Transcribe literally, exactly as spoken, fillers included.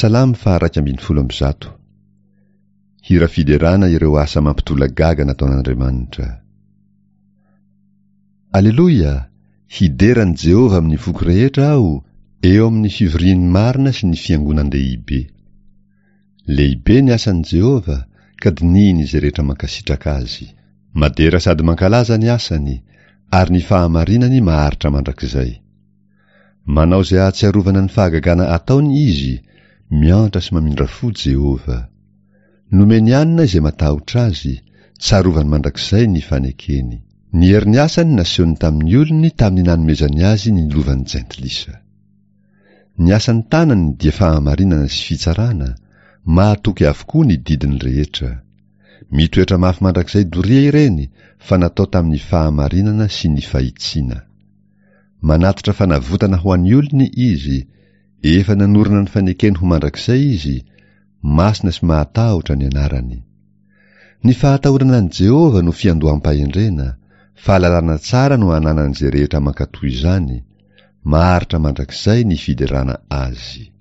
Salamo faha-iraika ambin'ny folo amby zato. Hira fiderana ireo asa mampitolagaga nataon'Andriamanitra. Aleloia! Hidera an'i Jehovah amin'ny foko rehetra aho, eo amin'ny fivorian'ny marina sy ny fiangonan-dehibe. Lehibe ny asan'i Jehovah, ka dinihiny izay rehetra mankasitraka azy. Madera sady mankalaza ny asany, ary ny fahamarinany maharitra mandrakizay. Manao izay ahatsiarovana ny fahagagana ataony izy, miantra sy mamindra fo Jehovah. Nomeny hanina izay matahotra azy, tsarovany mandrakizay ny fanekeny. Ny herin'ny asany nasehony tamin'ny olony tamin'ny nanomezany azy ny lovan'ny jentilisa. Ny asan'ny tanany dia fahamarinana sy fitsarana, mahatoky avokoa ny didiny rehetra. Mitoetra mafy mandrakizay doria ireny fa natao tamin'ny fahamarinana sy ny fahitsiana. Manatitra fanavotana ho an'ny olony izy, efa nanorina ny fanekeny ho mandrakizay izy, masina sy mahatahotra ny anarany. Ny fahatahorana an'i Jehovah no fiandoham-pahendrena, fahalalana tsara no ananan'izay rehetra mankatò izany, maharitra mandrakizay ny fiderana azy.